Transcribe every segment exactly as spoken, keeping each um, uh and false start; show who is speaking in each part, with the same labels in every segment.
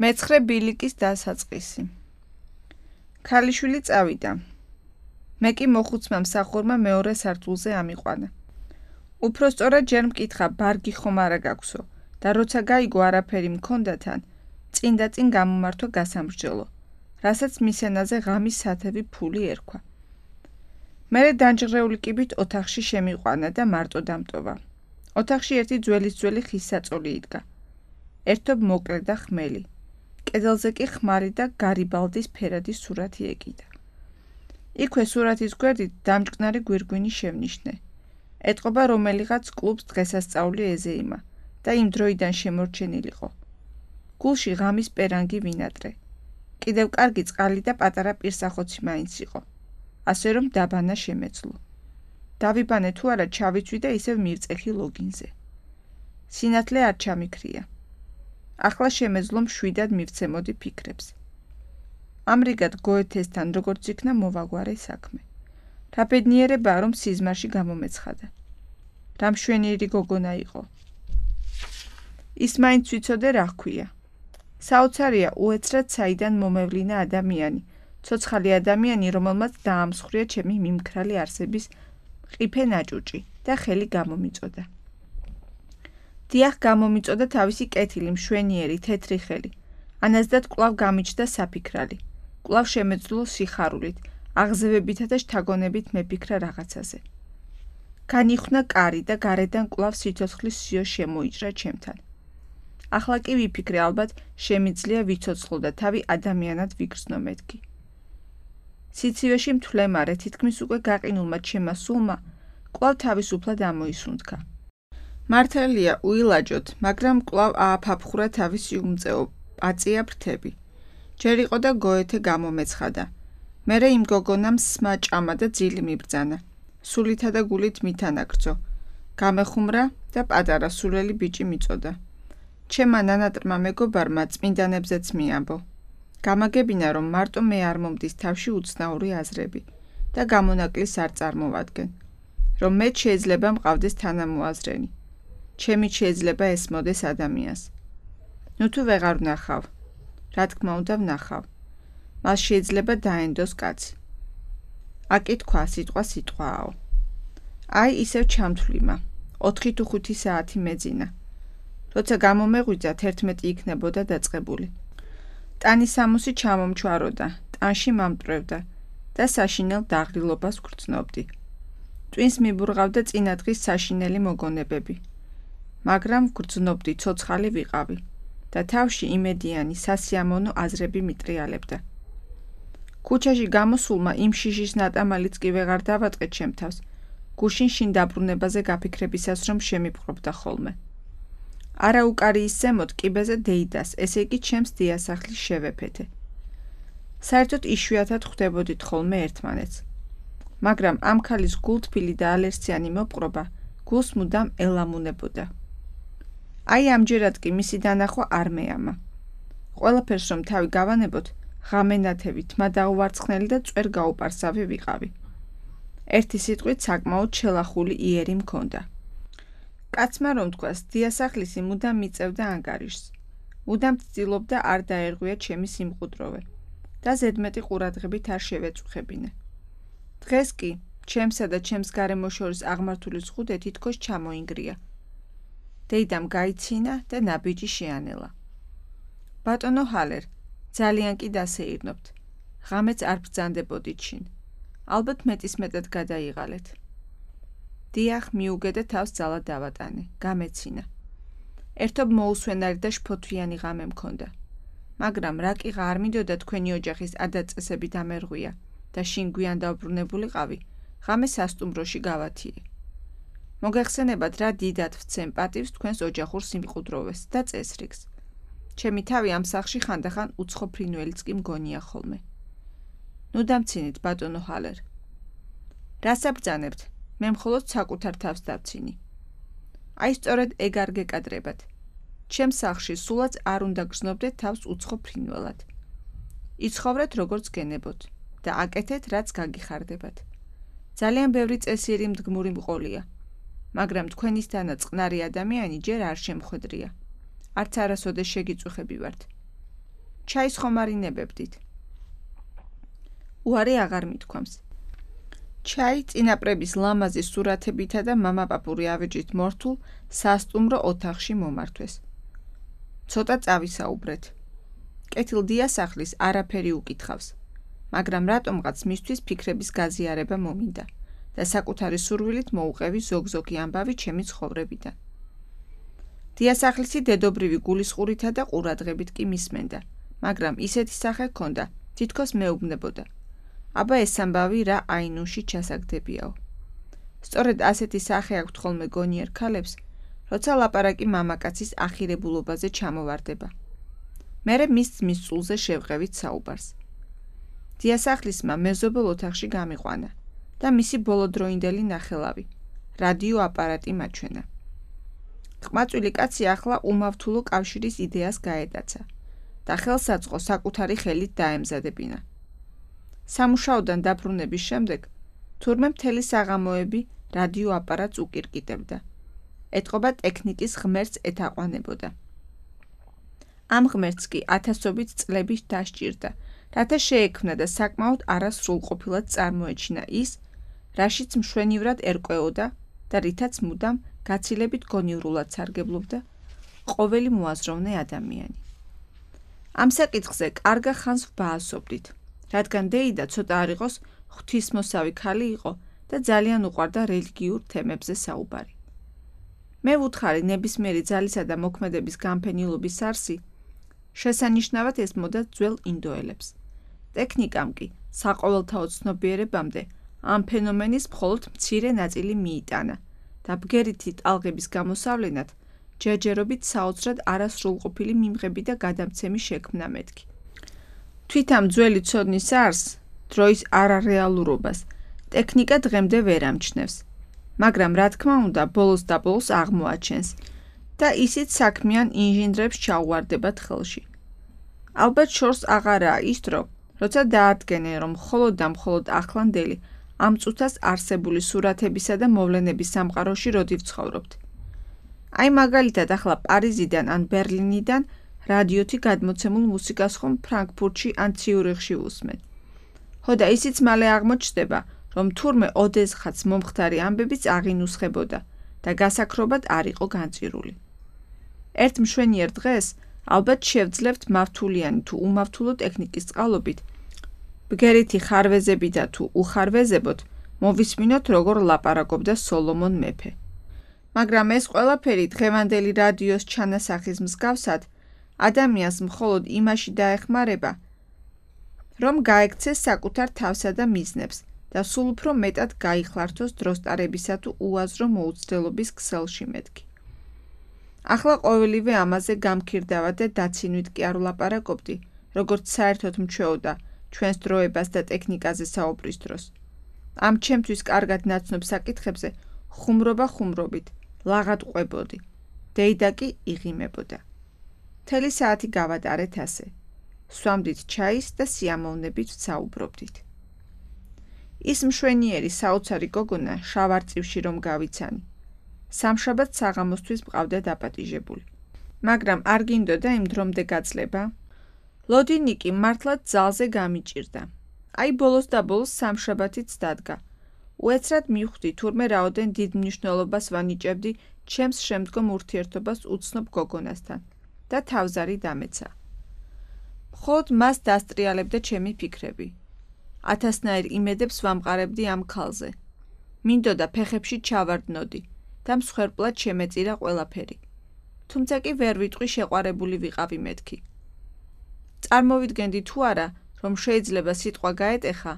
Speaker 1: მეცხრე ბილიკის დასაწყისი. ქალიშვილი წავიდა. მე კი მოხუცმა მსახურმა მეორე სართულზე ამიყვანა. უფრო სწორად ჯერ მკითხა, ბარგი ხომ არა გაქვსო და როცა გაიგო არაფერი მქონდა თან, წინ და წინ გამომართვა გასამრჯელო, რასაც მის ენაზე ღამის სათევი ფული ერქვა. მერე დანჯღრეული კიბით ოთახში შემიყვანა და მარტო დამტოვა. ოთახში ერთი ძველის ძველი ხის საწოლი იდგა. ერთობ მოკლე და ხმელი. კედელზე კი ხმარი და გარიბალდის ფერადი სურათი ეკიდა. იქვე სურათის გვერდით დამჭკნარი გვირგვინი შევნიშნე. ეტყობა რომელიღაც კლუბს დღესასწაული ეზეიმა და იმ დროიდან შემორჩენილიყო. გულში ღამის პერანგი ვინატრე. კიდევ კარგი წყალი და პატარა პირსახოცი მაინც იყო. ასე რომ დაბანა შემეძლო. დავიბანე თუ არა ჩავიცვი და ისევ მივწეხი ლოგინზე. სინათლე არ ჩამიქრია. ახლა შემეძლო მშვიდად მივცემოდი ფიქრებს. ამრიგად გოეთესთან როგორც იქნა მოვაგვარე საქმე. რა ბედნიერებაა, რომ სიზმარში გამომეცხადა. რა მშვენიერი გოგონა იყო. ის მაინც ვიცოდე რა ჰქვია. საოცარია უეცრად საიდან მომევლინა ადამიანი, ცოცხალი ადამიანი, რომელმაც დაამსხვრია ჩემი მიმქრალი არსების ყიფე ნაჭუჭი და ხელი გამომიწოდა. დიახ, გამომიწოდა თავისი კეთილი, მშვენიერი, თეთრი ხელი. ანაზდად კვლავ გამიჩნდა საფიქრალი. კვლავ შემეძლო სიხარულით, აღზევებითა და შთაგონებით მეფიქრა რაღაცაზე. განიხვნა კარი და გარედან კვლავ სიცოცხლის სიო შემოიჭრა ჩემთან. ახლა კი ვიფიქრე, ალბათ შემიძლია ვიცოცხლო და თავი ადამიანად ვიგრძნო მეთქი. სიცივეში მთვლემარე, თითქმის უკვე გაყინულმა ჩემმა სულმა კვლავ თავისუფლად ამოისუნთქა. მართალია უილაჯოთ, მაგრამ კვლავ ააფაფხურა თავისი უმწეო, პაწია ფრთები. ჯერ იყო და გოეთე გამომეცხადა. მერე იმ გოგონამ სმა ჭამა და ძილი მიბრძანა. სულითა და გულით მითანაგრძო. გამეხუმრა და პატარა სულელი ბიჭი მიწოდა. ჩემმა ნანატრმა მეგობარმა წმინდანებზეც მიამბო. გამაგებინა, რომ მარტო მე არ მომდის თავში უცნაური აზრები და გამონაკლის არ წარმოვადგენ. რომ მეც შეიძლება მყავდეს თანამოაზრენი. ჩემით შეიძლება ესმოდეს ადამიანს. ნუ თუ ვეღარ ვნახავ. რა თქმა უნდა ვნახავ. მას შეიძლება დაენდოს კაცი. აკითხვა სიტყვა სიტყვააო. აი ისევ ჩამთვლიმა. ოთხი თუ ხუთი საათი მეძინა. როცა გამომეღვიძა თერთმეტი იქნებოდა დაწყებული. ტანი სამოსი ჩამომჩვაროდა, ტანში მამტვრევდა და საშინელ დაღრილობას ვგრძნობდი. ტვინს მიბურღავდა წინადღის საშინელი მოგონებები. მაგრამ ვგრძნობდი, ცოცხალი ვიყავი და თავში იმედიანი, სასიამოვნო აზრები მიტრიალებდა. ქუჩაში გამოსულმა იმ შიშის ნატამალიც კი ვეღარ დავატყე ჩემ თავს, გუშინ შინ დაბრუნებაზე გაფიქრებისას რომ შემიპყრობდა ხოლმე. არა უკარიის ზემოთ კიბეზე დეიდას, ესე იგი ჩემს დიასახლის შევეფეთე. საერთოდ იშვიათად ხვდებოდით ხოლმე ერთმანეთს. მაგრამ ამ ქალის გულთბილი და ალერსიანი მოპყრობა გულს მუდამ ელამუნებოდა. აი ამჯერად კი მისი დანახვა არ მეამა. ყველაფერს რომ თავი გავანებოთ, ღამენათევით, მა დაუვარცხნელი და წვერ გაუპარსავი ვიყავი. ერთი სიტყვით საკმაოდ შელახული იერი მქონდა. კაცმა რომ თქვას, დიასახლისი მუდამ მიწევდა ანგარიშს. მუდამ ცდილობდა არ დაერღვია ჩემი სიმყუდროვე და ზედმეტი ყურადღებით არ შევეწუხებინე. დღეს კი ჩემსა და ჩემს გარემო შორის აღმართული ზღუდე თითქოს ჩამოინგრია. დეიდამ გაიცინა და ნაბიჯი შეანელა. ბატონო ჰალერ, ძალიან კი დასეირნობთ. ღამეც არ ბრძანდებოდით შინ. ალბათ მეტის მეტად გადაიღალეთ. დიახ, მიუგე და თავს ძალა დავატანე, გამეცინა. ერთობ მოუსვენარი და შფოთვიანი ღამე მქონდა. მაგრამ რა კი არ მინდოდა თქვენი ოჯახის ადაწესები დამერღვია და შინ გვიან დავბრუნებულიყავი, ღამე სასტუმროში გავათიე. მოგეხსენებათ რა დიდად ვცემ პატივს თქვენს ოჯახურ სიმყუდროვეს და წესრიგს. ჩემი თავი ამ სახლში ხანდახან უცხო ფრინველიც კი მგონია ხოლმე. ნუ დამცინით, ბატონო ჰალერ. რას აბრძანებთ? მე მხოლოდ საკუთარ თავს დავცინი. აი სწორედ ეგ არ გეკადრებათ. ჩემს სახლში სულაც არ უნდა გრძნობდეთ თავს უცხო ფრინველად. იცხოვრეთ როგორც გენებოთ და აკეთეთ რაც გაგიხარდებათ. ძალიან ბევრი წესიერი მდგმური მყოლია. მაგრამ თქვენისთანაც წყნარი ადამიანი ჯერ არ შემხვედრია. არც არასოდეს შეგიწუხები ვართ. ჩაის ხომ არ ინებებდით? უარი აღარ მithქვამს. ჩაი წინაპრების ლამაზი სურათებითა და მამაპაპური ავეჯით მორთულ სასტუმრო ოთახში მომართვეს. ცოტა წავისაუბრეთ. კეთილ დიასახლის არაფერი უკითხავს, მაგრამ რატომღაც მისთვის ფიქრების გაზიარება მომინდა და საკუთარი სურვილით მოუყევი ზოგ-ზოგი ამბავი ჩემი ცხოვრებიდან. დიასახლისი დედობრივი გულისყურითა და ყურადღებით კი მისმენდა, მაგრამ ისეთი სახე ჰქონდა, თითქოს მეუბნებოდა. აბა ეს ამბავი რა აინუში ჩასაგდებიაო. სწორედ ასეთი სახე აქვთ ხოლმე გონიერ ქალებს, როცა ლაპარაკი მამაკაცის ახირებულობაზე ჩამოვარდება. მერე მის ძმის წულზე შევყევით საუბარს. დიასახლისმა მეზობელ ოთახში გამიყვანა და მისი ბოლოდროინდელი ნახელავი, რადიო აპარატი მაჩვენა. ყმაწვილი კაცი ახლა უმავთულო კავშირის იდეას გაეტაცა და ხელსაწყო საკუთარი ხელით დაემზადებინა. სამუშაოდან დაბრუნების შემდეგ თურმე მთელი საღამოები რადიო აპარატს უკირკიტებდა. ეტყობა ტექნიკის ღმერთს ეთაყვანებოდა. ამ ღმერთს კი ათასობით წლების დასჭირდა, რათა შეექმნა და საკმაოდ არასრულყოფილად წარმოეჩინა ის, რაშიც მშვენივრად ერკვეოდა და რითაც მუდამ გაცილებით გონივრულად სარგებლობდა ყოველი მოაზროვნე ადამიანი. ამ საკითხზე კარგა ხანს ვბაასობდით, რადგან დეიდა ცოტა არ იყოს ღვთისმოსავი ქალი იყო და ძალიან უყვარდა რელიგიურ თემებზე საუბარი. მე ვუთხარი ნებისმიერი ძალისა და მოქმედების განფენილობის არსი, შესანიშნავად ესმოდა ძველ ინდოელებს. ტექნიკამ კი საყოველთაო ცნობიერებამდე ამ ფენომენის მხოლოდ მცირე ნაწილი მიიტანა და ბგერითი ტალღების გამოსავლენად ჯერჯერობით საოცრად არასრულყოფილი მიმღები და გადამცემი შექმნა მეთქი. თვით ამ ძველი ცოდნის არსს, დროის არარეალურობას, ტექნიკა დღემდე ვერ ამჩნევს, მაგრამ რა თქმა უნდა ბოლოს და ბოლოს აღმოაჩენს და ისიც საქმიან ინჟინრებს ჩაუვარდებათ ხელში. ალბათ შორს აღარაა ის დრო, როცა დაადგენენ, რომ მხოლოდ და მხოლოდ ახლანდელი ამ წუთას არსებული სურათებისა და მოვლენების სამყაროში როდი ვცხოვრობთ. აი მაგალითად ახლა პარიზიდან ან ბერლინიდან რადიოთი გადმოცემულ მუსიკას ხომ ფრანკფურტში ან ციურიხში ვუსმენ. ხო და ისიც მალე აღმოჩნდება, რომ თურმე ოდესღაც მომხდარი ამბებიც აღინუსხებოდა და გასაქრობად არ იყო განწირული. ერთ მშვენიერ დღეს ალბათ შევძლებთ მავთულიანი თუ უმავთულო ტექნიკის წყალობით, ბგერითი ხარვეზები და თუ უხარვეზებოთ, მოვისმინოთ როგორ ლაპარაკობდა სოლომონ მეფე. მაგრამ ეს ყველაფერი დღევანდელი რადიოს ჩანასახის მსგავსად ადამიანს მხოლოდ იმაში დაეხმარება, რომ გაექცეს საკუთარ თავსა და მიზნებს და სულ უფრო მეტად გაიხლართოს დროსტარებისა თუ უაზრო მოუცდელობის ქსელში მეთქი. ახლა ყოველივე ამაზე გამქირდავა და დაცინვით კი არ ვლაპარაკობდი, როგორც საერთოდ მჩვეოდა ჩვენს დროებას და ტექნიკაზე საუბრის დროს. ამ ჩემთვის კარგად ნაცნობ საკითხებზე ხუმრობა ხუმრობით, ლაღად ყვებოდი, დეიდა კი იღიმებოდა. მთელი საათი გავატარეთ ასე. სვამდით ჩაის და სიამოვნებით ვსაუბრობდით. ის მშვენიერი საოცარი გოგონა შავ არწივში რომ გავიცანი. სამშაბათ საღამოსთვის მყავდა დაპატიჟებული. მაგრამ არ გინდოდა იმ დრომდე გაწლება? ლოდინიკი მართლაც ძალზე გამიჭირდა. აი ბოლოს და ბოლოს სამშაბათიც დადგა. უეცრად მივხვდი თურმე რაოდენ დიდ მნიშვნელობას ვანიჭებდი ჩემს შემდგომ ურთიერთობას უცნობ გოგონასთან და თავზარი დამეცა. მხოლოდ მას დასტრიალებდა ჩემი ფიქრები. ათასნაირ იმედებს ვამყარებდი ამ ქალზე. მინდოდა ფეხებში ჩავარდნოდი და მსხვერპლად შემეწირა ყველაფერი. თუმცა კი ვერ ვიტყვი შეყვარებული ვიყავი მეთქი. წარმოვიდგენდი თუ არა, რომ შეიძლება სიტყვა გაეტეხა,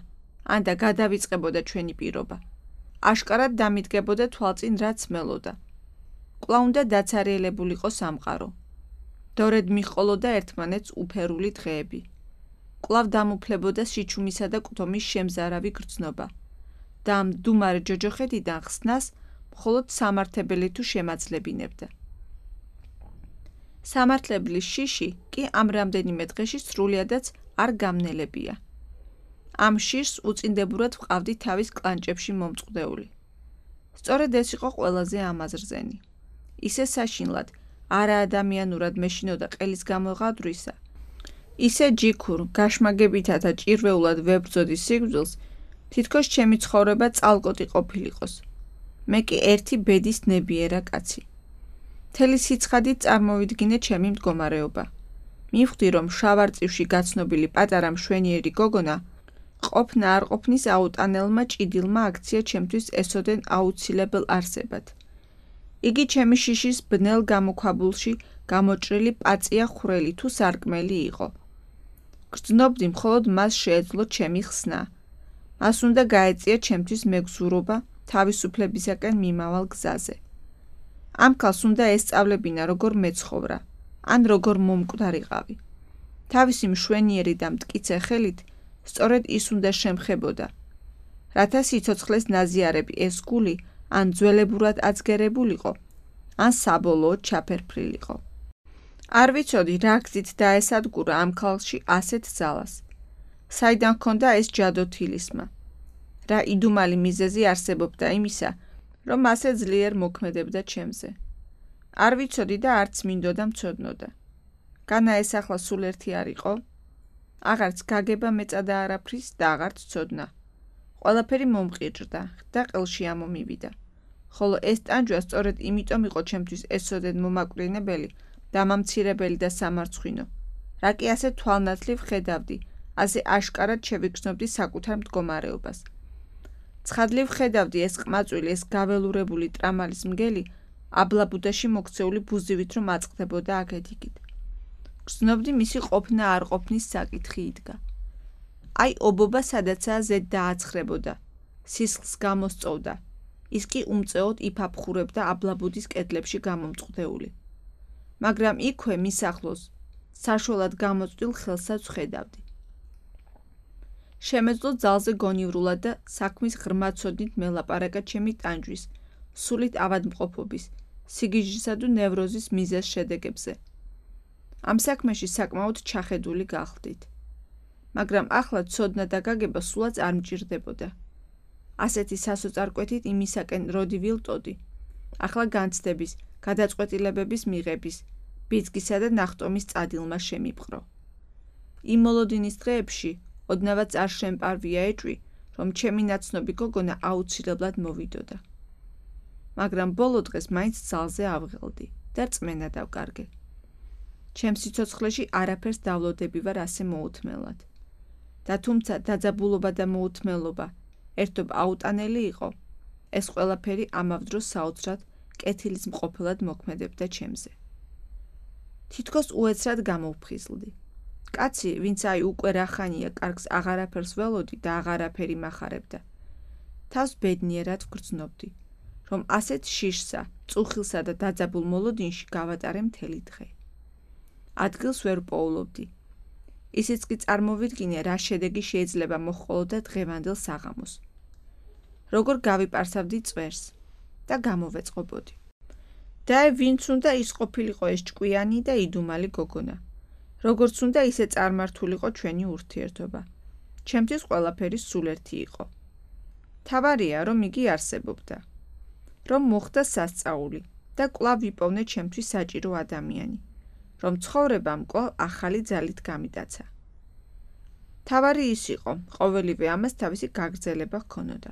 Speaker 1: ან და გადავიწყებოდა ჩვენი პირობა. აშკარად დამიდგებოდა თვალწინ რაც მელოდა. კვლავ უნდა დაცარიელებულიყო სამყარო. დორედ მიჰყოლოდა ერთმანეთს უფერული დღეები. კვლავ დამუფლებოდა შიჩუმისა და კუთომის შემზარავი გრძნობა და ამ მდუმარე ჯოჯოხეთიდან ხსნას მხოლოდ სამართებელი თუ შემაძლებინებდა. სამართლებლის შიში კი ამ რამდენიმე დღეში სრულიადაც არ გამნელებია. ამ შიშს უწინდებურად ვყავდი თავის კლანჭებში მომწყდეული. სწორედ ეს იყო ყველაზე ამაზრზენი. ისე საშინლად, არაადამიანურად მეშინოდა ყელის გამოღადვრისა ისე ჯიქურ, გაშმაგებითა და ჭირვეულად ვებრძოდი სიკვდილს, თითქოს ჩემი ცხოვრება წალკოტი ყოფილიყოს. მე კი ერთი ბედის ნებიერა კაცი. მთელი სიცხადით წარმოვიდგინე ჩემი მდგომარეობა. მივხვდი, რომ შავარწივში გაცნობილი პატარა მშვენიერი გოგონა ყოფნა არ ყოფნის აუტანელმა ჭიდილმა აქცია ჩემთვის ესოდენ აუცილებელ არსებად. იგი ჩემი შიშის ბნელ გამოქვაბულში გამოჭრილი პაწია ხვრელი თუ სარკმელი იყო. გრძნობდი მხოლოდ მას შეეძლო ჩემი ხსნა. მას უნდა გაეწია ჩემთვის მეგზურობა თავისუფლებისაკენ მიმავალ გზაზე. ამ ქალს უნდა ესწავლებინა როგორ მეცხოვრა, ან როგორ მომკვდარიყავი. თავისი მშვენიერი და მტკიცე ხელით სწორედ ის უნდა შემხებოდა, რათა სიცოცხლეს ნაზიარები ეს გული ან ძველებურად აწგერებულიყო, ან საბოლოოდ ჩაფერფრილიყო. არ ვიცოდი რა გზით დაესადგურა ამ ქალში ასეთ ძალას. საიდან ჰქონდა ეს ჯადოთილისმა? რა იდუმალი მიზეზი არსებობდა იმისა, რომ ასე ძლიერ მოქმედებდა ჩემზე. არ ვიცოდი და არც მინდოდა მცოდნოდა. განა ეს ახლა სულ ერთი არ იყო? აღარც გაგება მეწადა არაფრის და აღარც ცოდნა. ყველაფერი მომყიჭდა და ყელში ამომივიდა. ხოლო ეს ტანჯვა სწორედ იმიტომ იყო ჩემთვის ესოდენ მომაკვდინებელი, დამამცირებელი და სამარცხვინო. რა კი ასე თვალნათლივ ხედავდი, ასე აშკარად შევიგრძნობდი საკუთარ მდგომარეობას. ცხადლივ ხედავდი ეს ყმაწვილი, ეს გაველურებული ტრამალის მგელი აბლაბუდაში მოქცეული ბუზივით რომ აწყდებოდა აქეთ-იქით. გრძნობდი მისი ყოფნა არ ყოფნის საკითხი იდგა. აი ობობა სადაცაა ზედ დააცხრებოდა, სისხლს გამოსწოვდა, ის კი უმწეოდ იფაფხურებდა აბლაბუდის კედლებში გამომწყდეული. მაგრამ იქვე მის ახლოს საშველად გამოწვდილ ხელსაც ვხედავდი. შემეძლო ძალზე გონივრულად და საქმის ღრმა ცოდნით მელაპარაკა ჩემი ტანჯვის, სულით ავადმყოფობის, სიგიჟისა თუ ნევროზის მიზეზ შედეგებზე. ამ საქმეში საკმაოდ ჩახედული გახლდით. მაგრამ ახლა ცოდნა და გაგება სულაც არ მჭირდებოდა. ასეთი სასოწარკვეთით იმისაკენ როდი ვილტოდი. ახლა განცდების, გადაწყვეტილებების მიღების, ბიძგისა და ნახტომის წადილმა შემიპყრო. იმ მოლოდინის დღეებში ოდნავაც არ შემპარვია ეჭვი, რომ ჩემი ნაცნობი გოგონა აუცილებლად მოვიდოდა. მაგრამ ბოლო დღეს მაინც ძალზე ავღელდი და რწმენა დავკარგე. ჩემ სიცოცხლეში არაფერს დავლოდები ვარ ასე მოუთმელად. და თუმცა დაძაბულობა და მოუთმელობა ერთობ აუტანელი იყო, ეს ყველაფერი ამავ დროს საოცრად კეთილის მყოფელად მოქმედებდა ჩემზე. თითქოს უეცრად გამოვფხიზლდი. კაცი, ვინც აი უკვე რახანია კარგს აღარაფერს ველოდი და აღარაფერი მახარებდა. თავს ბედნიერად ვგრძნობდი, რომ ასეთ შიშსა, წუხილსა და დაძაბულ მოლოდინში გავატარე მთელი დღე. ადგილს ვერ პოულობდი. ისიც კი წარმოვიდგინე, რა შედეგი შეიძლება მოჰყოლოდა დღევანდელ საღამოს. როგორ გავიპარსავდი წვერს და გამოვეწყობოდი. და ვინც უნდა ის ყოფილიყო ეს ჭკვიანი და იდუმალი გოგონა. როგორც უნდა ისე წარმართულიყო ჩვენი ურთიერთობა. ჩემთვის ყველაფერი სულ ერთი იყო. თავარია, რომ იგი არსებობდა. რომ მოხდა სასწაული და კვლავ ვიპოვნე ჩემთვის საჭირო ადამიანი. რომ ცხოვრებამ კვლავ ახალი ძალით გამიტაცა. თავარი ის იყო, ყოველივე ამას თავისი გაგრძელება ჰქონოდა.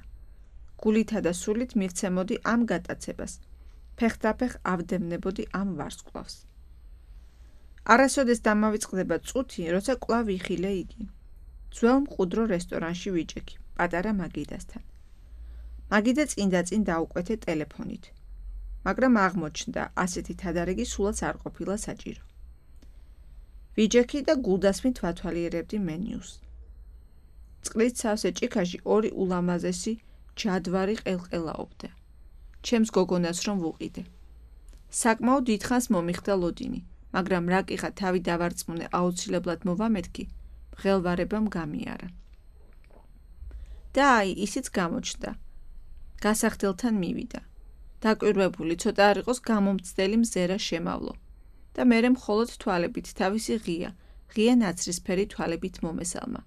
Speaker 1: გულითა და სულით მივცემოდი ამ გატაცებას. ფეხდაფეხ ავდევნებოდი ამ ვარსკვლავს. არასოდეს დამავიწყდება წუთი, როცა კვლავ იხილე იგი. ძველ მყუდრო რესტორანში ვიჭექი, პატარა მაგიდასთან. მაგიდა წინ-დაწინ დაუკვეთე ტელეფონით. მაგრამ აღმოჩნდა, ასეთი თადარიგი სულაც არ ყოფილა საჭირო. ვიჯექი და გულდასმით ვათვალიერებდი მენიუს. წყლით სავსე ჭიქაში ორი ულამაზესი ჯადვარი ყელყელაობდა. ჩემს გოგონას რომ ვუყიდე. საკმაოდ დიდხანს მომიხდა ლოდინი, მაგრამ რა კიხა თავი დავარწმუნე აუცილებლად მოვამეთქი, მღელვარებამ გამიარა. და აი, ისიც გამოჩნდა. გასახდელთან მივიდა. დაკვირვებული ცოტა არ იყოს გამომცდელი მზერა შემავლო. და მერე მხოლოდ თვალებით თავისი ღია, ღია ნაცრისფერი თვალებით მომესალმა.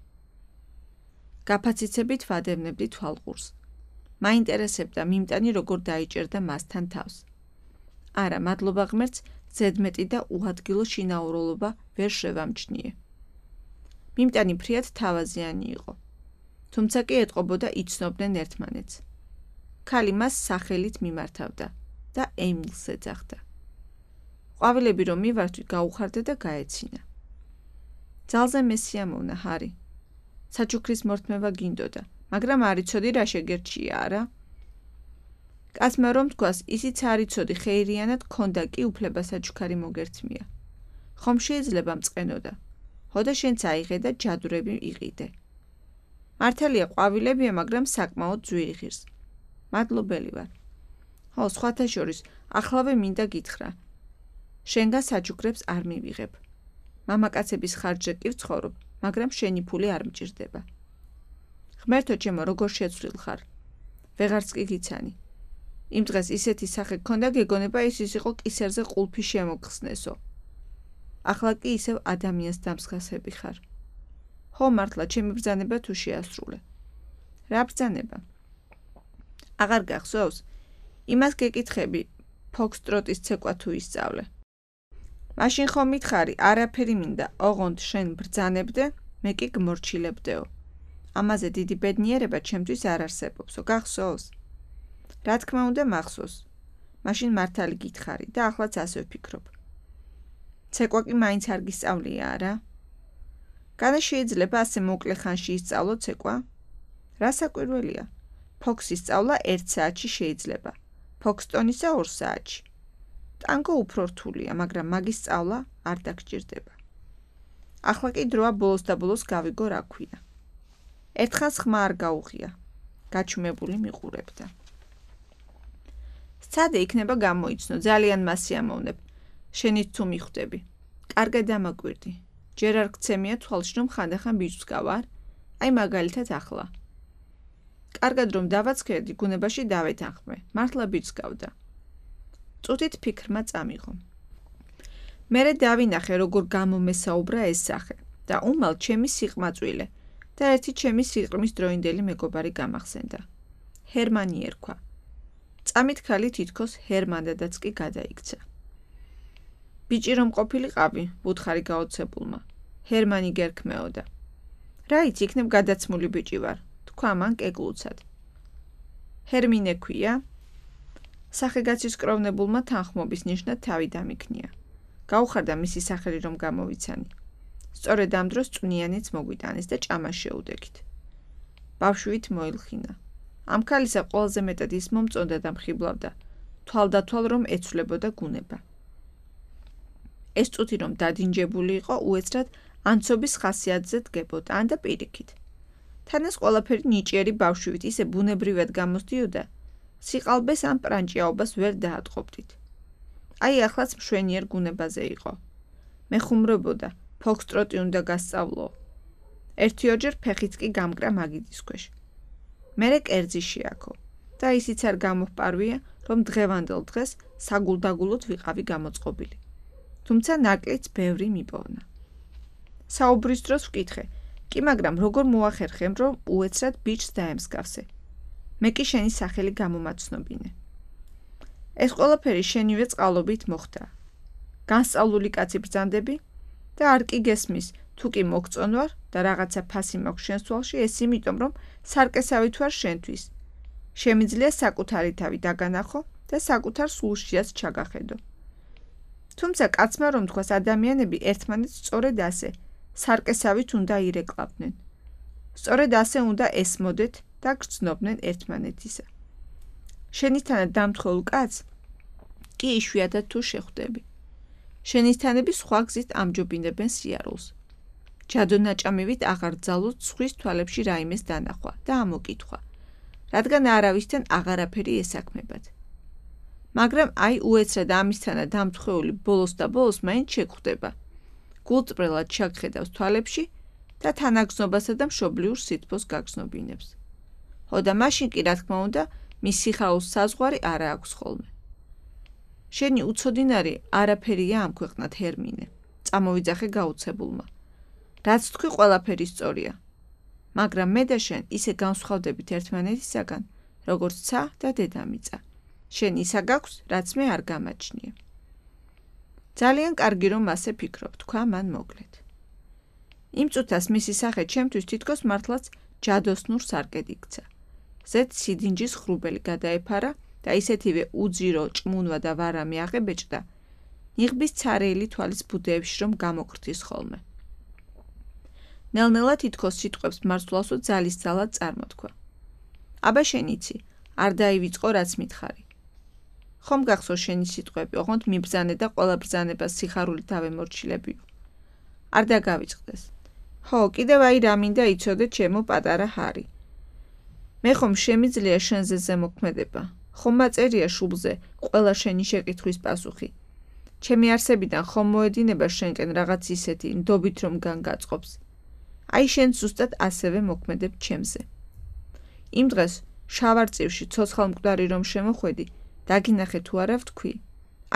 Speaker 1: გაფაციცებით ვადევნებდი თვალყურს. მაინტერესებდა მიმტანი როგორ დაიჭერდა მასთან თავს. არა, მადლობა ღმერთს, ზედმეტი და უადგილო შინაურულობა ვერ შევამჩნიე. მიმტანი ფრიად თავაზიანი იყო. თუმცა კი ეტყობოდა იცნობდნენ ერთმანეთს. ქალი მას სახელით მიმართავდა და ემილს ეძახდა. ყვავილები რომ მივართვით გაუხარდა და გაეცინა. ძალზე მესიამოვნა ჰარი. საჩუქრის მორთმევა გინდოდა, მაგრამ არ იცოდი რა შეგერჩია არა. კაცმა რომ თქვას, ისიც არ იცოდი ხეირიანად ქონდა კი უფლება საჩუქარი მოგერთმია. ხომ შეიძლება მწყენოდა. ხოდა შენც აიღე და ჯადურები იყიდე. მართალია ყვავილებია, მაგრამ საკმაოდ ძვირი ღირს. მადლობელი ვარ. ხო, სხვათა შორის, ახლავე მინდა გითხრა. შენგან საჩუქრებს არ მივიღებ. მამაკაცების ხარჯზე კი ვცხოვრობ, მაგრამ შენი ფული არ მჭირდება. ღმერთო ჩემო, როგორ შეცვლილ ხარ. ვეღარც კი გიცანი. იმ დღეს ისეთი სახე გქონდა, გეგონება ის ის იყო კისერზე ყულფი შემოგხსნესო. ახლა კი ისევ ადამიანს დამსგავსები ხარ. ხო, მართლა, ჩემი ბრძანება თუ შეასრულე. რა ბრძანება? აღარ გახსოვს? იმას გეკითხები, ფოქსტროტის ცეკვა თუ ისწავლე. მაშინ ხომ მითხარი, არაფერი მინდა, ოღონდ შენ ბრძანებდე, მე კი გმორჩილებდეო. ამაზე დიდი ბედნიერება ჩემთვის არ არსებობსო, გახსოვს? რა თქმა უნდა მახსოვს. მაშინ მართალი გითხარი და ახლაც ასე ვფიქრობ. ცეკვა კი მაინც არ გისწავლია, არა? განა შეიძლება ასე მოკლე ხანში ისწავლო ცეკვა? რა საკვირველია? ფოქსის სწავლა ერთ საათში შეიძლება. ფოქსტონისა ორ საათში. ტანგო უფრო რთულია, მაგრამ მაგის სწავლა არ დაგჭირდება. ახლა კი დროა ბოლოს და ბოლოს გავიგო რა ქვია. ერთხანს ხმა არ გაუღია. გაჩუმებული მიყურებდა. სცადე იქნება გამოიცნო, ძალიან მასიამოვნებ. შენით თუ მიხვდები. კარგად დამაკვირდი. ჯერ არ გცემია თვალში რომ ხანდახან ბიჭს გავარ, აი მაგალითად ახლა. კარგად რომ დავაცხერდი, გუნებაში დავეთანხმე, მართლა ბიჭს გავდა. წუთით ფიქრმა წამიღო. მერე დავინახე, როგორ გამომესაუბრა ეს სახე და უმალ ჩემი სიყმაწვილე და ერთი ჩემი სიყრმის დროინდელი მეგობარი გამახსენდა. ჰერმანი ერქვა. წამით ქალი თითქოს ჰერმანდადაც კი გადაიქცა. ბიჭი რომ ყოფილიყავი, ვუთხარი გაოცებულმა. ჰერმანი გერქმეოდა. რა იცი, იქნებ გადაცმული ბიჭი ვარ, თქვა მან კეკლუცად. ჰერმინე ქვია? სახეგაცის კროვნებულმა თანხმობის ნიშნად თავი დამიქნია. გაუხარდა მისი სახელი რომ გამოვიცანი. სწორედ ამ დროს წვნიანიც მოგვიტანეს და ჭამას შეუდექით. ბავშვით მოილხინა. ამ ქალისა ყველაზე მეტად ის მომწონდა და მხიბლავდა, თვალდათვალ რომ ეცვლებოდა გუნება. ეს წუთი რომ დადინჯებული იყო, უეცრად ანცობის ხასიათზე დგებოდა, ან და პირიქით. თან ეს ყველაფერი ნიჭიერი ბავშვით ისე ბუნებრივად გამოსდიოდა, სიყალბეს ან პრანჭიაობას ვერ დაატყობდით. აი ახლაც მშვენიერ გუნებაზე იყო. მეხუმრებოდა, ფოქსტროტი უნდა გასწავლო. ერთი ორჯერ ფეხიც კი გამკრა მაგიდის ქვეშ. მერე კერძი შეაქო და ისიც არ გამოვპარვია, რომ დღევანდელ დღეს საგულდაგულოდ ვიყავი გამოწყობილი. თუმცა ნაკლიც ბევრი მიპოვნა. საუბრის დროს ვკითხე, კი მაგრამ როგორ მოახერხემ, რომ უეცრად ბიჭს დაემსგავსე. მე კი შენი სახელი გამომაცნობინე. ეს ყველაფერი შენივე წყალობით მოხდა. განსწავლული კაცი ბრძანდები და არ კი გესმის, თუ კი მოგწონ ვარ და რაღაცა ფასი მაქვს შენს თვალში, ეს იმიტომ, რომ სარკესავით ვარ შენთვის. შემიძლია საკუთარი თავი დაგანახო და საკუთარ სულშიაც ჩაგახედო. თუმცა კაცმა რომ თქვას, ადამიანები ერთმანეთს სწორედ ასე, სარკესავით უნდა ირეკლავდნენ. სწორედ ასე უნდა ესმოდეთ და გრძნობდნენ ერთმანეთისა. შენისთანად დამთხეულ კაცს კი იშვიათად თუ შეხვდები. შენისთანები სხვა გზით ამჯობინებენ სიარულს. ჯადონაჭამივით აღარ ძალოთ სხვის თვალებში რაიმეს დანახვა და ამოკითხვა, რადგან არავისთან აღარაფერი ესაქმებათ. მაგრამ აი უეცრად ამისთანად დამთხეული ბოლოს და ბოლოს მაინც შეგვხვდება. გულწრფელად ჩაგხედავს თვალებში და თანაგზნობასა და მშობლიურ სითბოს გაგზნობინებს. ხო და მაშინ კი რა თქმა უნდა, მის სიხარულს საზღვარი არა აქვს ხოლმე. შენი უცოდინარი არაფერია ამ ქვეყნად ჰერმინე, წამოვიძახე გაუცებულმა. რაც თქვი ყველაფერი სწორია. მაგრამ მე და შენ ისე განსხვავდებით ერთმანეთისაგან, როგორც ცა და დედამიწა. შენ ისა გაქვს, რაც მე არ გამაჩნია. ძალიან კარგი რომ ასე ფიქრობ, თქვა მან მოკლედ. იმ წუთას მისი სახე ჩემთვის თითქოს მართლაც ჯადოსნურ სარკედ იქცა. ზედ სიდინჯის ხრუბელი გადაეფარა და ისეთივე უძირო, ჭმუნვა და ვარამი აღებეჭდა, ნიღბის ცარიელი თვალის ბუდეებში რომ გამოკრთის ხოლმე. ნელ-ნელა თითქოს სიტყვებს მარცვლაოსო ძალის ძალად წარმოთქვა. აბა შენ იცი, არ დაივიწყო რაც მითხარი. ხომ გახსოვს შენი სიტყვები, ოღონდ მიბრძანე და ყველა ბრძანებას სიხარულით დავემორჩილებიო. არ დაგავიწყდეს. ხო, კიდევ აი რა მინდა იცოდე ჩემო პატარა ჰარი. მე ხომ შემიძლია შენზე ზემოქმედება, ხომ მაწერია შუბლზე ყველა შენი შეკითხვის პასუხი. ჩემი არსებიდან ხომ მოედინება შენკენ რაღაც ისეთი ნდობით რომ განგაწყობს. აი შენ ზუსტად ასევე მოქმედებ ჩემზე. იმ დღეს შავარწივში ცოცხალ მკვდარი რომ შემოხვედი, დაგინახე თუ არა ვთქვი,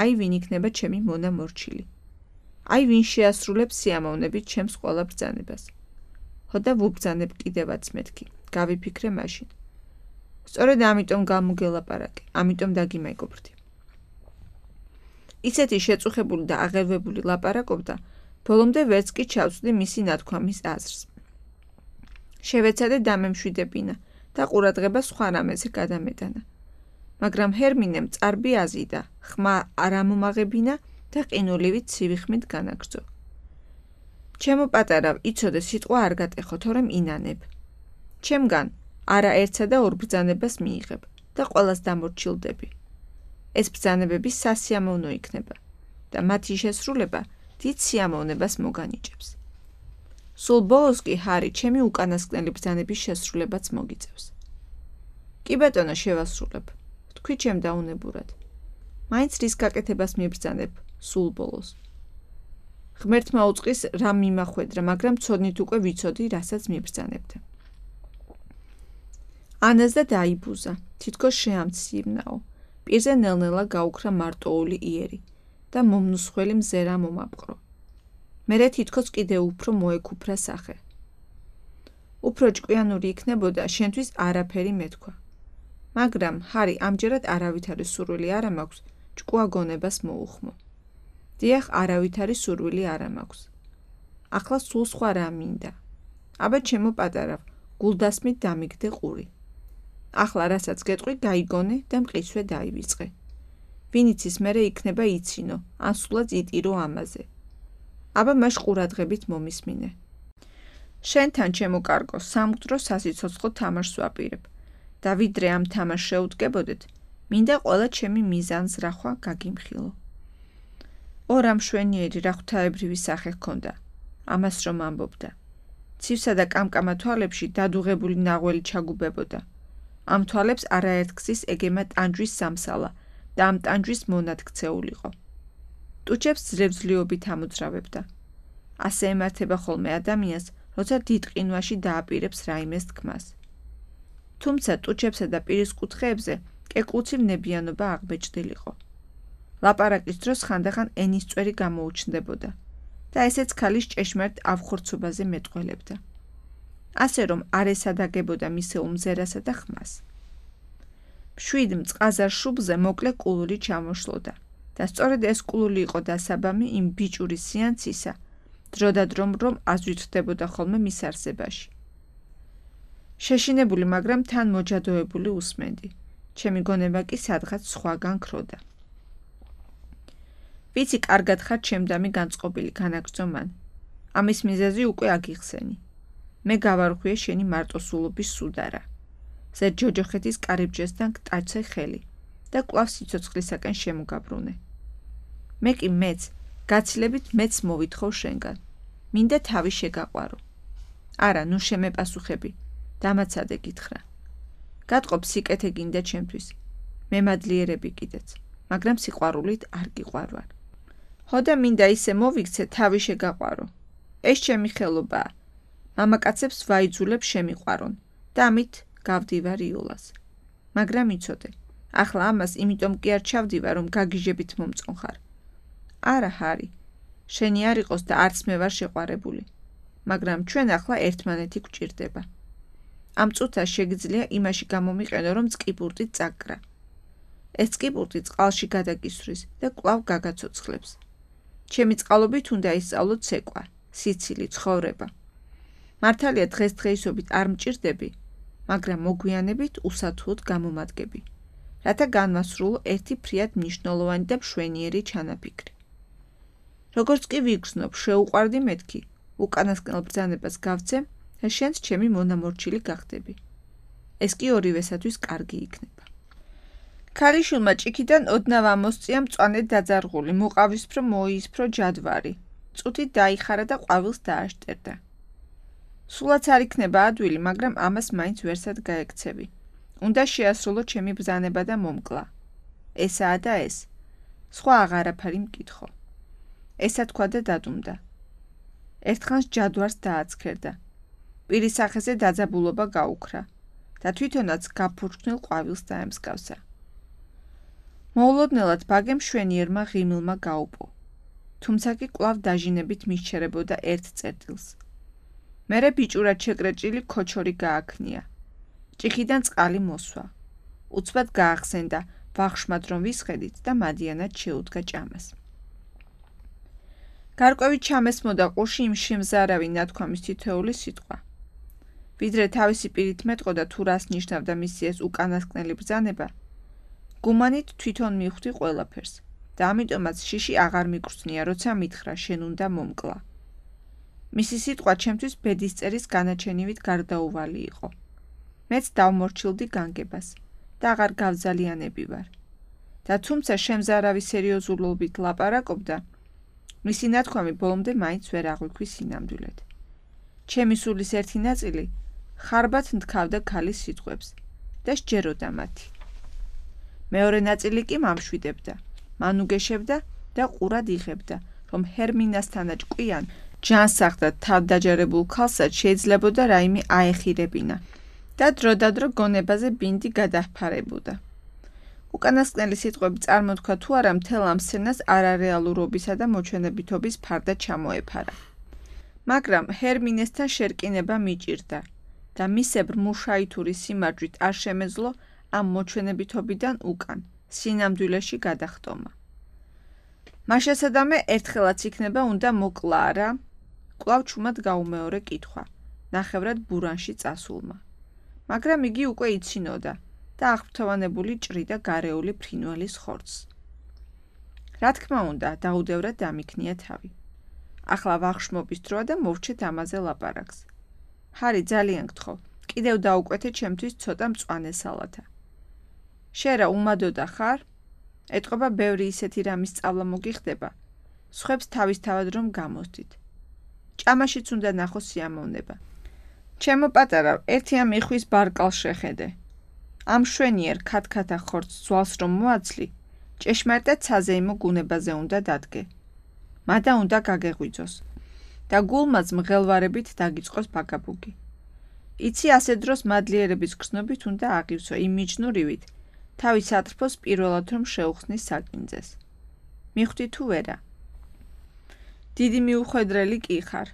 Speaker 1: აი ვინ იქნება ჩემი მონა მორჩილი. აი ვინ შეასრულებს სიამოვნებით ჩემს ყველა ბრძანებას. ხო და ვუბრძანებ კიდევაც მეთქი, გავიფიქრე მაშინ. სწორედ ამიტომ გამოგელაპარაკე, ამიტომ დაგიმეგობრდი. ისეთი შეწუხებული და აღელვებული ლაპარაკობდა, ბოლომდე ვერც კი ჩავწვდი მისი ნათქვამის აზრს. შევეცადე დამემშვიდებინა და ყურადღება სხვა რამეზე გადამეტანა. მაგრამ ჰერმინემ წარბი აზიდა, ხმა არ ამომაღებინა და ყინულივით ცივი ხმით განაგრძო. ჩემო პატარავ, იცოდე სიტყვა არ გატეხო, თორემ ინანებ. ჩემგან არა ერთსა და ორ ბრძანებას მიიღებ და ყველას დამორჩილდები. ეს ბრძანებები სასიამოვნო იქნება და მათი შესრულება დიდ სიამოვნებას მოგანიჭებს. სულ ბოლოს კი ჰარი ჩემი უკანასკნელი ბრძანების შესრულებაც მოგიწევს. კი ბატონო, შევასრულებ. თქვი ჩემ დაუნებურად. მაინც რის გაკეთებას მიბრძანებ სულ ბოლოს. ღმერთმა უწყის რამ მიმახვედრა, მაგრამ ცოდნით უკვე ვიცოდი, რასაც მიბრძანებდა. ანაზდა დაიბუზა, თითქოს შეამცივნაო. პირზე ნელ-ნელა გაუქრა მარტოული იერი და მომნუსხველი მზერა მომაპყრო. მერე თითქოს კიდევ უფრო მოეკუფრა სახე. უფრო ჭკვიანური იქნებოდა, შენთვის არაფერი მეთქვა. მაგრამ ჰარი ამჯერად არავითარი სურვილი არ მაქვს, ჭკუა გონებას მოუხმო. დიახ, არავითარი სურვილი არ მაქვს. ახლა სულ სხვა რა მინდა. აბა ჩემო პატარავ, გულდასმით დამიგდე ყური. ახლა რასაც გეტყვი, გაიგონე და მყისვე დაივიწყე. ვინ იცის მერე იქნება იცინო, ან სულაც იტირო ამაზე. აბა მას ყურადღებით მომისმინე. შენთან ჩემო კარგო, სამკვდრო სასიცოცხლო თამაშს ვაპირებ. და ვიდრე ამ თამაშს შეუდგებოდეთ, მინდა ყველა ჩემი მიზანს რახვა გაგიმხილო. ო რა მშვენიერი რა ღვთაებრივი სახე ჰქონდა, ამას რომ ამბობდა. ცივსა და კამკამა თვალებში დადუღებული ნაღველი ჩაგუბებოდა. ამ თვალებს არაერთგზის ეგემა ტანჯვის სამსალა და ამ ტანჯვის მონად ქცეულიყო. ტუჩებს ძლევძლიობით ამოძრავებდა. ასე ემართება ხოლმე ადამიანს, როცა დიდ ყინვაში დააპირებს რაიმეს თქმას. თუმცა ტუჩებსა და პირის კუთხეებზე კეკლუცილნებიანობა აღბეჭდილიყო. ლაპარაკის დროს ხანდახან ენის წვერი გამოუჩნდებოდა და ესეც ქალის ჭეშმარიტ ავხორცობაზე მეტყველებდა. ასე რომ არ ესადაგებოდა მისე უმზერასა და ხმას. მშვიდ მწყაზარ შუბლზე მოკლე კულური ჩამოშლოდა და სწორედ ეს კულური იყო დასაბამი იმ ბიჭური სიანცისა, დროდადრომ რომ აზვითრდებოდა ხოლმე მის არსებაში. შეშინებული, მაგრამ თან მოჯადოებული უსმენდი. ჩემი გონება კი სადღაც სხვაგან ქროდა. ვიცი, კარგად ხარ ჩემდამი განწყობილი, განაგრძო მან. ამის მიზეზი უკვე აგიხსენი. მე გავარღვიე შენი მარტოსულობის სუდარა. ზედ ჯოჯოხეთის კარიბჭესთან გტაცე ხელი და კვლავ სიცოცხლისაკენ შემოგაბრუნე. მე კი მეც, გაცილებით მეც მოვითხოვ შენგან. მინდა თავი შეგაყვარო. არა, ნუ შემეპასუხები. დამაცადე გითხრა. გატყობ სიკეთე გინდა ჩემთვის. მემადლიერები კიდეც, მაგრამ სიყვარულით არ გიყვარვარ. ხო და მინდა ისე მოვიქცე თავი შეგაყვარო. ეს ჩემი ხელობაა. მამაკაცებს ვაიძულებ შემიყვარონ და ამით გავდივარ იოლას. მაგრამ იცოდე, ახლა ამას იმიტომ კი არ ჩავდივარ, რომ გაგიჟებით მომწონხარ. არა, ჰარი, შენი არ იყოს და არც მე ვარ შეყვარებული. მაგრამ ჩვენ ახლა ერთმანეთი გვჭირდება. ამ წუთას შეგიძლია იმაში გამომიყენო, რომ წყიპურტი წაგკრა. ეს წყიპურტი წყალში გადაგისვრის და კვლავ გაგაცოცხლებს. ჩემი წყალობით უნდა ისწავლო ცეკვა, სიცილი, ცხოვრება. მართალია დღესდღეისობით არ მჭირდები, მაგრამ მოგვიანებით უსათუოდ გამომადგები, რათა განვასრულო ერთი ფრიად მნიშვნელოვანი და მშვენიერი ჩანაფიქრი. როგორც კი ვიგრძნობ, შეუყვარდი მეთქი, უკანასკნელ ბრძანებას გავცემ და შენც ჩემი მონამორჩილი გახდები. ეს კი ორივესათვის კარგი იქნება. ქალიშვილმა ჭიქიდან ოდნავ ამოსწია მწვანე დაძარღული, მოყავისფრო მოიისფრო ჯადვარი. წუთით დაიხარა და ყვავილს დააშტერდა. სულაც არ იქნება ადვილი, მაგრამ ამას მაინც ვერსად გაექცევი. უნდა შეასრულო ჩემი ბრძანება და მომკლა. ესაა და ეს. სხვა აღარაფერი მკითხო. ესა თქვა და დადუმდა. ერთხანს ჯადვარს დააცქერდა. პირის სახეზე დაძაბულობა გაუქრა და თვითონაც გაფურჩნილ ყვავილს დაემსგავსა. მოულოდნელად ბაგემ შვენიერმა ღიმილმა გაუპო. თუმცა კი კვლავ დაჟინებით მისჩერებოდა ერთ წერტილს. მერე ბიჭურად შეკრეჭილი ქოჩორი გააქნია. ჭიქიდან წყალი მოსვა. უცბად გაახსენდა, ვახშმად რომ ვისხედით და მადიანად შეუდგა ჭამას. გარკვევით ჩამესმოდა ყურში იმ შემზარავი ნათქვამის თითოეული სიტყვა. ვიდრე თავისი პირით მეტყოდა თუ რას ნიშნავდა მისი ეს უკანასკნელი ბრძანება, გუმანით თვითონ მივხვდი ყველაფერს და ამიტომაც შიში აღარ მიკვრწნია, როცა მითხრა შენ უნდა მომკლა. მისი სიტყვა ჩემთვის ბედისწერის განაჩენივით გარდაუვალი იყო. მეც დავმორჩილდი განგებას და აღარ გავძალიანები ვარ. და თუმცა შემზარავი სერიოზულობით ლაპარაკობდა, მისი ნათქვამი ბოლომდე მაინც ვერ აღვიქვი სინამდვილედ. ჩემი სულის ერთი ნაწილი ხარბად ნთქავდა ქალის სიტყვებს და სჯეროდა მათი. მეორე ნაწილი კი მამშვიდებდა, მანუგეშებდა და ყურად იღებდა, რომ ჰერმინასთანა ჭკვიან ჯანსაღ და თავდაჯერებულ ქალსაც შეიძლებოდა რაიმე აეხირებინა და დროდადრო გონებაზე ბინდი გადაჰფარებოდა. უკანასკნელი სიტყვები წარმოთქვა თუ არა მთელ ამ სცენას არარეალურობისა და მოჩვენებითობის ფარდა ჩამოეფარა. მაგრამ ჰერმინესთან შერკინება მიჭირდა და მისებრ მუშაითური სიმარჯვით არ შემეძლო ამ მოჩვენებითობიდან უკან, სინამდვილეში გადახტომა. მაშასადამე ერთხელაც იქნება უნდა მოკლა არა? კვლავ ჩუმად გაუმეორე კითხვა, ნახევრად ბურანში წასულმა. მაგრამ იგი უკვე იცინოდა და აღფრთოვანებული ჭრიდა გარეული ფრინველის ხორცს. რა თქმა უნდა, დაუდევრად დამიქნია თავი. ახლა ვახშმობის დროა და მოვჩეთ ამაზე ლაპარაკს. ჰარი, ძალიან გთხოვ, კიდევ დაუკვეთე ჩემთვის ცოტა მწვანე სალათა. შენ რა უმადოდა ხარ? ეტყობა ბევრი ისეთი რამის სწავლა მოგიხდება, სხვებს თავისთავად რომ გამოსდით. ჭამაშიც უნდა ნახო სიამოვნება. ჩემო პატარა, ერთი ამ იხვის ბარკალს შეხედე. ამ შვენიერ ქათქათა ხორცს ძვალს რომ მოაცლი, ჭეშმარიტად საზეიმო გუნებაზე უნდა დადგე. მადა უნდა გაგეღვიძოს და გულმაც მღელვარებით დაგიწყოს ბაგაბუგი. იცი ასე დროს მადლიერების გრძნობით უნდა აღივსო იმ მიჯნურივით, თავის ატრფოს პირველად რომ შეუხსნის საკინძეს. მიხვდი თუ ვერა? დიდი მიუხვედრელი კი ხარ.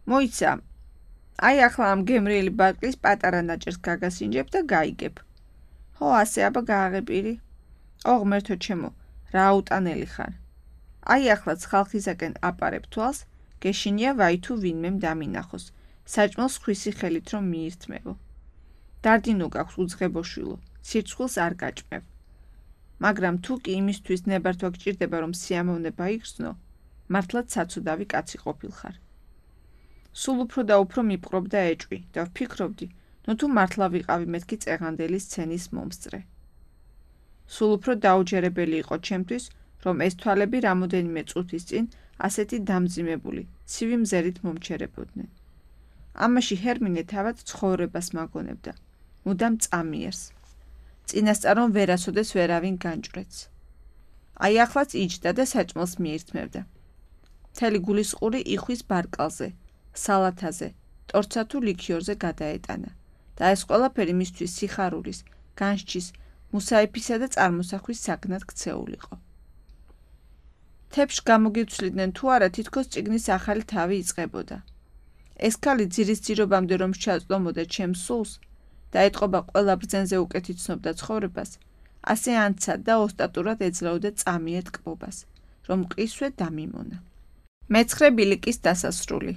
Speaker 1: მოიცა, აი ახლა ამ გემრიელი ბარკლის პატარა ნაჭერს გაგასინჯებ და გაიგებ. ხო, ასე აბა გააღებირი. ო ღმერთო ჩემო, რა აუტანელი ხარ. აი ახლაც ხალხისაკენ აპარებ თვალს, გეშინია ვაი თუ ვინმემ დამინახოს, საჭმელს ხვისი ხელით რომ მიირთმევო. დარდინო გაქვს უძღებოშვილო, ცირცხვილს არ გაჭმევ. მაგრამ თუ კი იმისთვის ნებართვა გჭირდება რომ სიამოვნება იგრძნო, მართლაც საცუდავი კაცი ყოფილხარ. სულ უფრო და უფრო მიპყრობდა ეჭვი და ვფიქრობდი, ნუ თუ მართლა ვიყავი მეთქი წეღანდელი სცენის მომსწრე. სულ უფრო დაუჯერებელი იყო ჩემთვის, რომ ეს თვალები რამოდენიმე წუთის წინ ასეთი დამძიმებული, ცივი მზერით მომჩერებოდნენ. ამაში ჰერმინე თავად ცხოვრებას მაგონებდა, მუდამ წამიერს. წინასწარონ ვერასოდეს ვერავინ განჭვრეთს. აი ახლაც იჯდა და საჭმელს მიირთმევდა. მთელი გულისყური იხვის ბარკალზე, სალათაზე, ტორცა თუ ლიქიორზე გადაეტანა და ეს ყველაფერი მისთვის სიხარულის, განსჯის, მუსაიფისა და წარმოსახვის საგნად ქცეულიყო. თეფშ გამოგიცვლიდნენ თუ არა თითქოს წიგნის ახალი თავი იწყებოდა. ეს ქალი ძირის ძირობამდე რომ შეაწლომოდა ჩემს სულს და ეტყობა ყველა ბრძენზე უკეთ იცნობდა ცხოვრებას, ასე ანცად და ოსტატურად ეძლეოდა წამიერ ტკბობას, რომ მყისვე დამიმონა. მეცხრე ბილიკის დასასრული.